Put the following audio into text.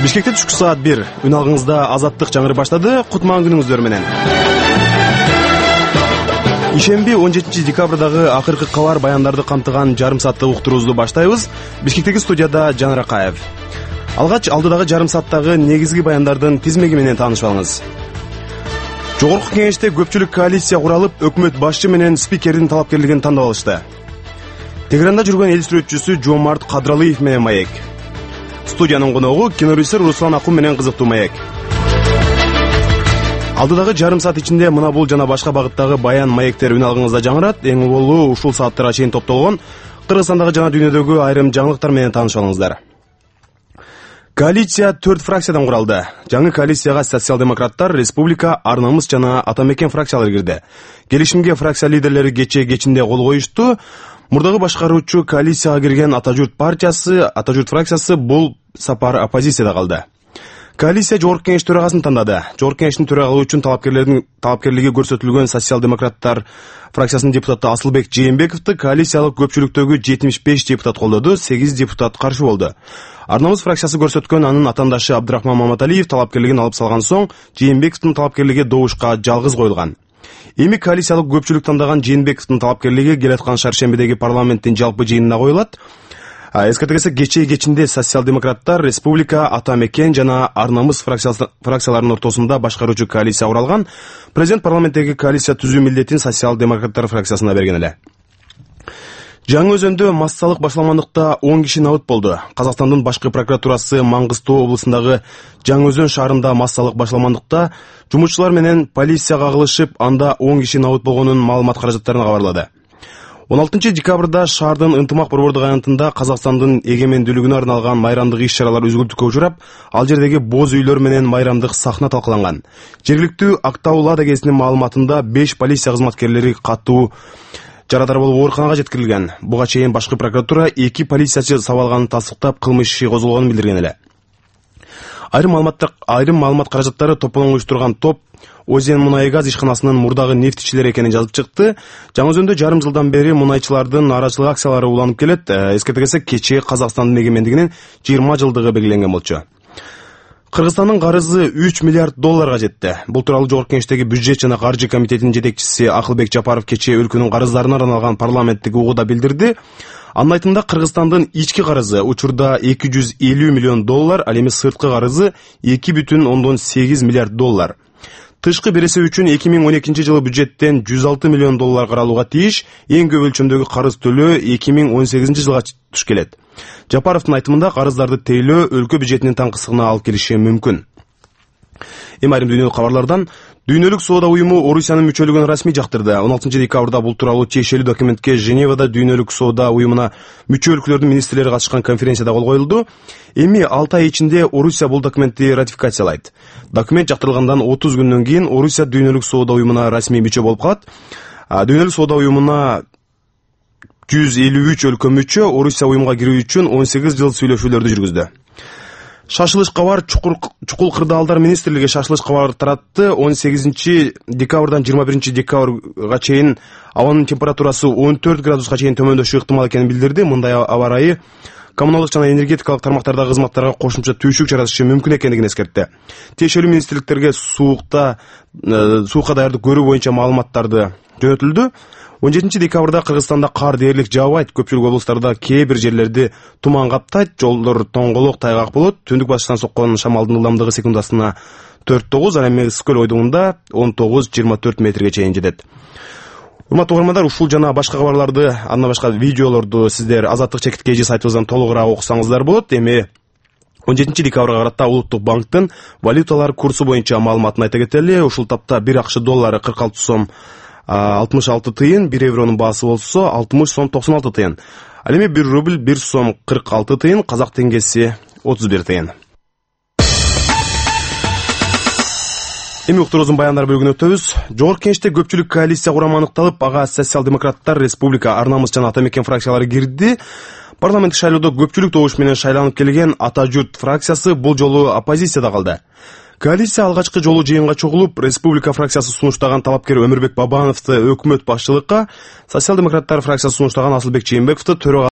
Бишкекте түшкү саат 1. Үн алгыңызда азаттык жаңыры баштады. Кутман күнүңүздөр менен. Ишемби 17 декабрдагы акыркы кабар баяндарды камтыган жарым сааттык уктуруубузду баштайбыз. Бишкектеги студияда Жанар Акаев. Алгач алдыдагы жарым сааттагы негизги баяндардын тизмеги менен таанышып алыңыз. Жогорку кеңеште көпчүлүк коалиция куралып, өкмөт башчы менен спикердин талапкерлигин тандап алышты. Тегеранда жүргөн эл сүрөтчүсү Жомарт Кадралиев менен маек. Студиянын коногу кинорежиссер Руслан Акун менен кызыктуу маек. Алдыдагы жарым саат ичинде мына бул жана башка багыттагы баян маектер үн алгыңызда жаңырат. Эң болуу ушул сааттарга чейин топтолгон Кыргызстандагы жана дүйнөдөгү айрым жаңылыктар менен таанышып алыңыздар. Коалиция 4 фракциядан куралды. Жаңы коалицияга социал-демократтар, республика, Ар намыс жана Ата мекен фракциялары кирди. Келишимге фракция лидерлери кечинде кол коюшту. Мурдагы башкаруучу коалицияга кирген Ата журт фракциясы бул сапар оппозицияда калды. Коалиция жогорку кеңеш төрагасын тандады. Жогорку кеңештин төрагалыгы үчүн талапкерлиги көрсөтүлгөн социал-демократтар фракциясынын депутаты Асылбек Жээнбековду коалициялык көпчүлүктөгү 75 депутат колдоду, 8 депутат каршы болду. Ар намыс фракциясы көрсөткөн анын атаандашы Абдрахман Маматалиев талапкерлигин алып салган соң, Жээнбековдун талапкерлиги добушка жалгыз коюлган. Эми коалициялык көпчүлүк тандаган Жээнбековдун талапкерлиги келаткан шаршембидеги парламенттин жалпы жыйынына коюлат. Эскертилсе кечинде социал-демократтар, республика, Ата мекен жана Ар намыс фракцияларынын ортосунда башкаруучу коалиция куралган. Президент парламенттеги коалиция түзүү милдетин социал-демократтар фракциясына берген эле. Жаңы Өзөндө массалык башламандыкта 10 киши набыт болду. Казакстандын башкы прокуратурасы Маңгыстоо облусундагы Жаңы Өзөн шаарында массалык башламандыкта жумушчулар менен полицияга кагылышып, анда 10 киши набыт болгонун маалымат каражаттарына кабарлады. 16 декабрда шаардын ынтымак борбордук аянтында Казакстандын эгемендүүлүгүнө арналган майрамдык иш-чаралар үзгүлтүккө учурап, ал жердеги боз үйлөр менен майрамдык сахна талкаланган. Жергиликтүү Актау-Лада гезитинин маалыматында 5 полиция кызматкерлери катуу жарадар болуп ооруканага жеткирилген. Буга чейин башкы прокуратура 2 полициячы сабалганын тастыктап, кылмыш иши козголгонун билдирген эле. Айрым маалымат каражаттары топтолуп уюштурган топ Озен мунай газ ишканасынын мурдагы нефтичилери экенин жазып чыкты. Жаңы Өзөндө жарым жылдан бери мунайчылардын нааразычылык акциялары уланып келет. Эскертилсе кечээ Казакстандын эгемендигинин 20 жылдыгы белгиленген болчу. Кыргызстандын карызы 3 миллиард долларга жетти. Бул тууралуу жогорку кеңештеги бюджет жана каржы комитетинин жетекчиси Акылбек Жапаров кечээ өлкөнүн карыздарына арналган парламенттик угууда билдирди. Анын айтымында Кыргызстандын ички карызы учурда 250 миллион доллар, ал эми сырткы карызы 2,8 миллиард доллар. Тышкы береси үчүн 2012 жылы бюджеттен 106 миллион доллар каралууга тийиш, эң көп өлчөмдөгү карыз төлөө 2018 жылга туш келет. Жапаровдун айтымында карыздарды тейлөө өлкө бюджетинин таңкысыгына алып келиши мүмкүн. Эми айрым дүйнөлүк кабарлардан Дүйнөлүк соода уюму Орусиянын мүчөлүгүн расмий жактырды. 16 декабрда бул тууралуу тиешелүү документке Женевада Дүйнөлүк соода уюмуна мүчө өлкөлөрдүн министрлери катышкан конференцияда кол коюлду. Эми 6 ай ичинде Орусия бул документти ратификациялайт. Документ жактырылгандан 30 күндөн кийин Орусия Дүйнөлүк соода уюмуна расмий мүчө болуп калат. Дүйнөлүк соода уюмуна 153 өлкө мүчө. Орусия уюмга кирүү үчүн 18 жыл сүйлөшүүлөрдү жүргүздү. Шашылыш кабар Чукул кырдаалдар министрлиги шашылыш кабар таратты. 18 декабрдан 21 декабрга чейин абанын температурасы 14 градуска чейин төмөндөшү ыктымал экенин билдирди. Мындай аба ырайы коммуналдык жана энергетикалык тармактардагы кызматтарга кошумча түйшүк жаратышы мүмкүн экендигин эскертти. Тиешелүү министрликтерге суукка даярдык көрүү боюнча маалыматтарды жөнөтүлдү. 17 декабрда Кыргызстанда кар дээрлик жаабайт. Көпчүлүк облустарда кээ бир жерлерди туман каптайт, жолдор тоңголок, тайгак болот. Түндүк батыштан соккон шамалдын ылдамдыгы секундасына 4-9, ал эми Ысык-Көл ойдугунда 19-24 метрге чейин жетет. Урматтуу угармандар, ушул жана башка кабарларды, андан башка видеолорду сиздер Азаттык чекит KG сайтыбыздан толугураак окусаңыздар болот. Эми 17 декабрга карата Улуттук банктын валюталар курсу боюнча маалыматын айта кетели. Ушул тапта 1 акш доллары 46 сом 66 тыйын, 1 евронун баасы болсо 60 сом 96 тыйын. Ал эми 1 рубль 1 сом 46 тыйын, казак теңгеси 31 тыйын. Эми уктуруубуздун баяндар бөлүгүнө өтөбүз. Жогорку кеңеште көпчүлүк коалиция курамы аныкталып, ага социал-демократтар, республика, Ар намыс жана Ата мекен фракциялары кирди. Парламенттик шайлоодо көпчүлүк добуш менен шайланып келген Ата журт фракциясы бул жолу оппозицияда калды. Коалиция алгачкы жолу жыйынга чогулуп, республика фракциясы сунуштаган талапкер Өмүрбек Бабановду өкмөт башчылыкка, социал-демократтар фракциясы сунуштаган Асылбек Жээнбековду төрага